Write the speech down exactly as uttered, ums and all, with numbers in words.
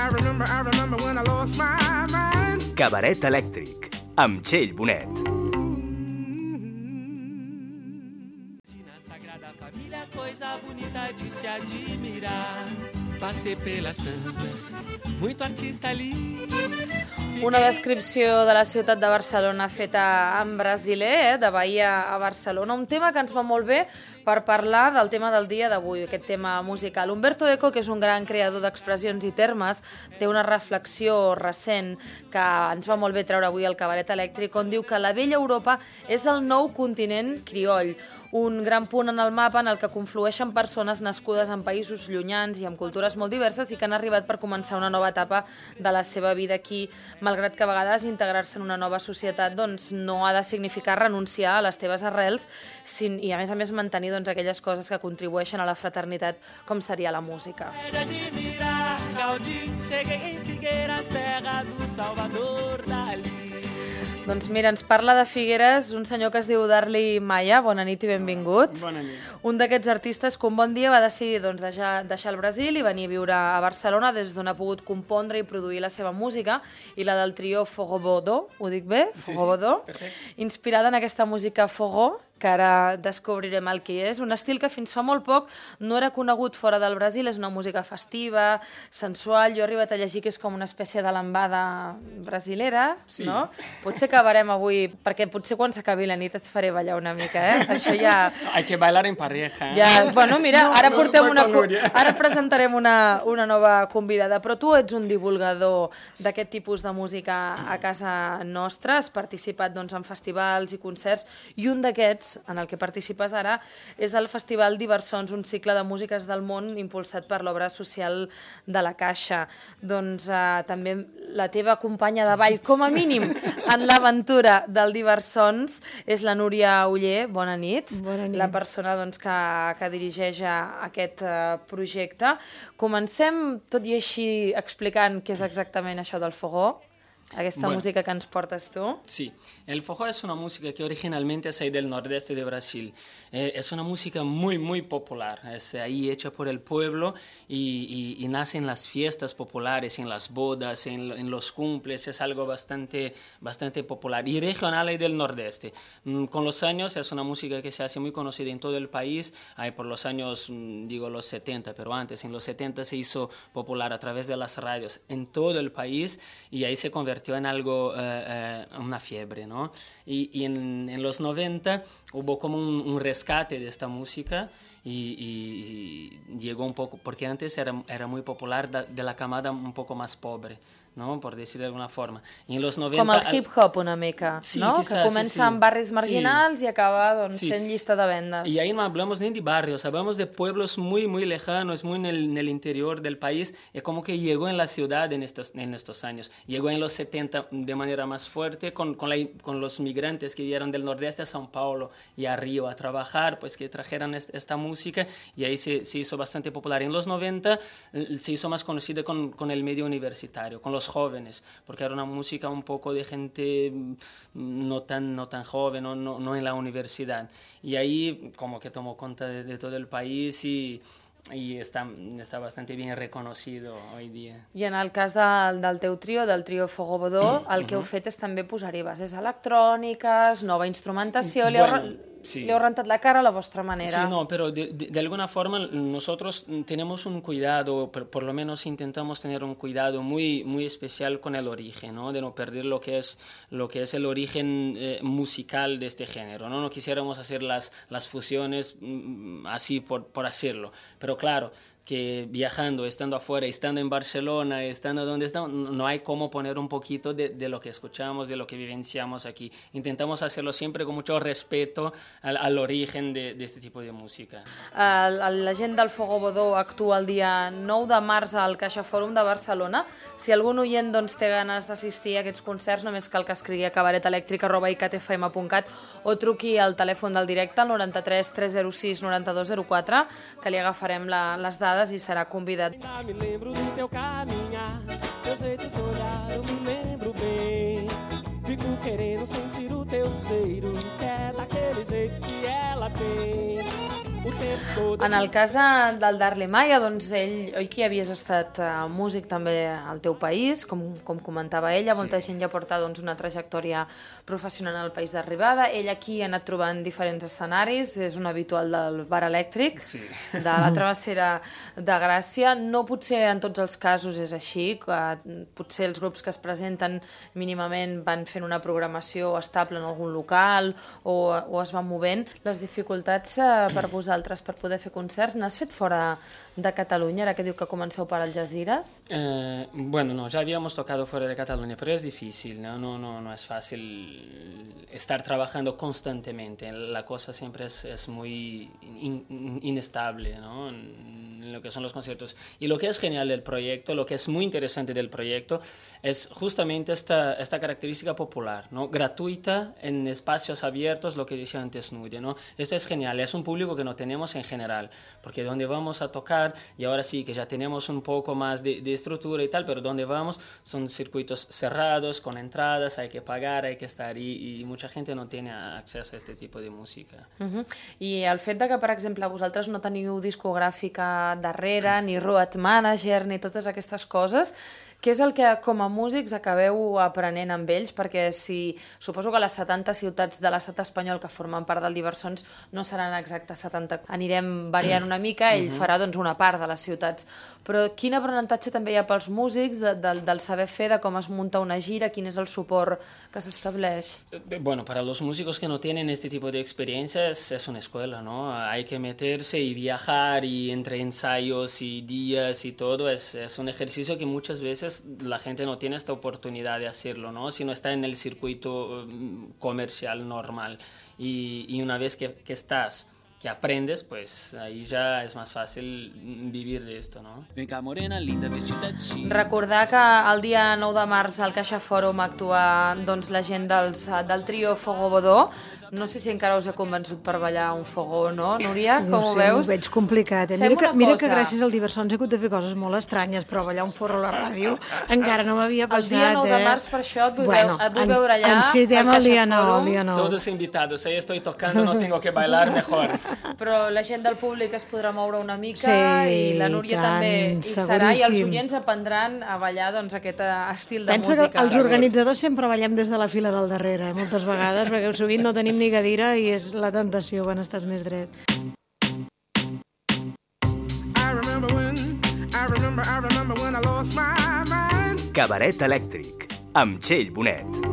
I remember, I remember when I lost my mind. Cabaret elèctric, amb Txell Bonet. Sagrada Família, coisa bonita de se admirar. Passei pelas tantas, muito artista ali. Una descripció de la ciutat de Barcelona feta en brasiler, eh, de Bahia a Barcelona. Un tema que ens va molt bé per parlar del tema del dia d'avui, aquest tema musical. Humberto Eco, que és un gran creador d'expressions i termes, té una reflexió recent que ens va molt bé treure avui al Cabaret Elèctric, on diu que la vella Europa és el nou continent crioll, un gran punt en el mapa en el que conflueixen persones nascudes en països llunyans i amb cultures molt diverses i que han arribat per començar una nova etapa de la seva vida aquí, malgrat que a vegades integrar-se en una nova societat doncs, no ha de significar renunciar a les teves arrels sin, i a més a més mantenir doncs, aquelles coses que contribueixen a la fraternitat com seria la música. Doncs mira, ens parla de Figueres un senyor que es diu Darly Maia. Bona nit i benvingut. Bona nit. Un d'aquests artistes que un bon dia va decidir doncs, deixar, deixar el Brasil i venir a viure a Barcelona, des d'on ha pogut compondre i produir la seva música, i la del trio Fogobodo, ho dic bé? Sí, Fogobodo. sí, perfecte. Inspirada en aquesta música Fogó, que ara descobrirem el que és. Un estil que fins fa molt poc no era conegut fora del Brasil, és una música festiva, sensual. Jo he arribat a llegir que és com una espècie de lambada brasilera, sí. No? Potser acabarem avui, perquè potser quan s'acabi la nit et faré ballar una mica, eh? Això ja... Hay que bailar en pareja. Eh? Ja, bueno, mira, no, ara no, portem no, una, no, no, ara presentarem una, una nova convidada, però tu ets un divulgador d'aquest tipus de música a casa nostra, has participat doncs, en festivals i concerts, i un d'aquests, en el que participes ara, és el Festival Diversons, un cicle de músiques del món impulsat per l'obra social de la Caixa. Doncs eh, també la teva companya de ball, com a mínim, en l'aventura del Diversons, és la Núria Oller. Bona nit. Bona nit. La persona doncs, que, que dirigeix aquest uh, projecte. Comencem, tot i així, explicant què és exactament això del fogó, aquesta bueno, música que ens portes tu. Sí, el fogó es una música que originalmente es ahí del nordeste de Brasil. Eh, es una música muy, muy popular. Es ahí hecha por el pueblo y, y, y nace en las fiestas populares, en las bodas, en, en los cumples. Es algo bastante, bastante popular y regional ahí del nordeste. Mm, con los años es una música que se hace muy conocida en todo el país. Ahí por los años, mm, digo los setenta, pero antes, en los setenta se hizo popular a través de las radios en todo el país y ahí se convirtió en algo, uh, uh, una fiebre, ¿no? Y, y en, en los noventa hubo como un, un rescate de esta música y, y, y llegó un poco, porque antes era, era muy popular de, de la camada un poco más pobre, ¿no? Por decir de alguna forma. Y en los noventa... Com el hip-hop una mica, sí, no? quizás, que comença sí, sí. en barris marginals sí. i acaba doncs, sí. sent llista de vendes. Y ahí no hablamos ni de barrios, hablamos de pueblos muy, muy lejanos, muy en el, en el interior del país. Es como que llegó en la ciudad en estos, en estos años. Llegó en los setenta de manera más fuerte con, con, la, con los migrantes que vinieron del nordeste a São Paulo y a Río a trabajar, pues que trajeran esta, esta música y ahí se, se hizo bastante popular. En los noventa se hizo más conocida con, con el medio universitario, con los jóvenes, porque era una música un poco de gente no tan, no tan joven, no, no, no en la universidad. Y ahí como que tomó cuenta de, de todo el país y, y está, está bastante bien reconocido hoy día. I en el cas de, del teu trio, del trio Fogobodo, el que heu fet és també posar-hi bases electròniques, nova instrumentació, li heu, Bueno, sí. li heu rentat la cara a la vostra manera. Sí, no, pero de, de, de alguna forma nosotros tenemos un cuidado, por, por lo menos intentamos tener un cuidado muy, muy especial con el origen, ¿no? De no perder lo que es, lo que es el origen eh, musical de este género, ¿no? No quisiéramos hacer las, las fusiones mm, así por, por hacerlo, pero claro, que viajando, estando afuera, estando en Barcelona, estando donde estamos, no hay cómo poner un poquito de, de lo que escuchamos, de lo que vivenciamos aquí. Intentamos hacerlo siempre con mucho respeto al, al origen de, de este tipo de música. Uh, la gent del Fogobodo actua el dia nou de març al Caixa Fòrum de Barcelona. Si algun oient doncs, té ganes d'assistir a aquests concerts, només cal que escrigui a cabaretelèctric arroba i c t f m punt cat o truqui al telèfon del directe al noranta-tres tres zero sis noranta-dos zero quatre, que li agafarem la, les dades i serà convidat. Ainda me lembro do teu caminhar, teu jeito de olhar, eu me lembro bem. Fico querendo sentir o teu cheiro, que é daquele jeito que ela tem. En el cas de, del Darle Maya, doncs ell, oi que havies estat uh, músic també al teu país, com, com comentava ella, sí. Molta gent ja porta doncs, una trajectòria professional al país d'arribada. Ell aquí ha anat trobant diferents escenaris, és un habitual del Bar Elèctric, sí. De la Travessera de Gràcia. No potser en tots els casos és així, uh, potser els grups que es presenten mínimament van fent una programació estable en algun local o, o es van movent. Les dificultats uh, per vosaltres per poder fer concerts, n'has fet fora de Catalunya, ara que diu que comenceu per Algeciras? Eh, bueno, no, ya habíamos tocado fuera de Cataluña, pero es difícil, ¿no? No, no, no es fácil estar trabajando constantemente. La cosa siempre es, es muy in, inestable, ¿no? En lo que son los conciertos. Y lo que es genial del proyecto, lo que es muy interesante del proyecto, es justamente esta, esta característica popular, ¿no? Gratuita, en espacios abiertos, lo que decía antes Nuria, ¿no? Esto es genial, es un público que no tenemos en general, porque donde vamos a tocar, y ahora sí que ya tenemos un poco más de, de estructura y tal, pero donde vamos son circuitos cerrados, con entradas, hay que pagar, hay que estar, y, y mucha gente no tiene acceso a este tipo de música. Uh-huh. I el fet de que, per exemple, vosaltres no teniu discogràfica darrere, ni road manager, ni totes aquestes coses, què és el que com a músics acabeu aprenent amb ells? Perquè si suposo que les setanta ciutats de l'estat espanyol que formen part del Diversons no seran exactes setanta, anirem variant una mica, ell uh-huh. farà doncs, una part de les ciutats. Però quin aprenentatge també hi ha pels músics de, de, del saber fer, de com es munta una gira, quin és el suport que s'estableix? Bueno, para los músicos que no tienen este tipo de experiencia es, es una escuela, ¿no? Hay que meterse y viajar y entre ensayos y días y todo, es, es un ejercicio que muchas veces la gente no tiene esta oportunidad de hacerlo, ¿no? Si no está en el circuito comercial normal. Y, y una vez que, que estás, que aprendes, pues ahí ya es más fácil vivir de esto, ¿no? Venga, morena, linda, visita així. Recordar que el dia nou de març al Caixa Fòrum actua doncs, la gent dels, del trio Fogó Bodó. No sé si encara us he convençut per ballar un fogó o no, Núria, com no ho sé, veus? Ho veig complicat. Eh? Mira, que, mira que gràcies al Diversons he hagut de fer coses molt estranyes, però ballar un forro a la ràdio encara no m'havia passat. El dia nou de eh? març, per això, et vull, bueno, veu, et vull veure allà al Caixa Fòrum. Todos invitados, ahí estoy tocando, no tengo que bailar mejor. Però la gent del públic es podrà moure una mica sí, i la Núria tant, també hi serà i els oients aprendran a ballar doncs, aquest estil de Pensa música. Pensa que els organitzadors sempre ballem des de la fila del darrere, eh? Moltes vegades, perquè sovint no tenim ni cadira i és la tentació quan estàs més dret. I remember when, I remember, I remember when I lost my mind. Cabaret Elèctric, amb Txell Bonet.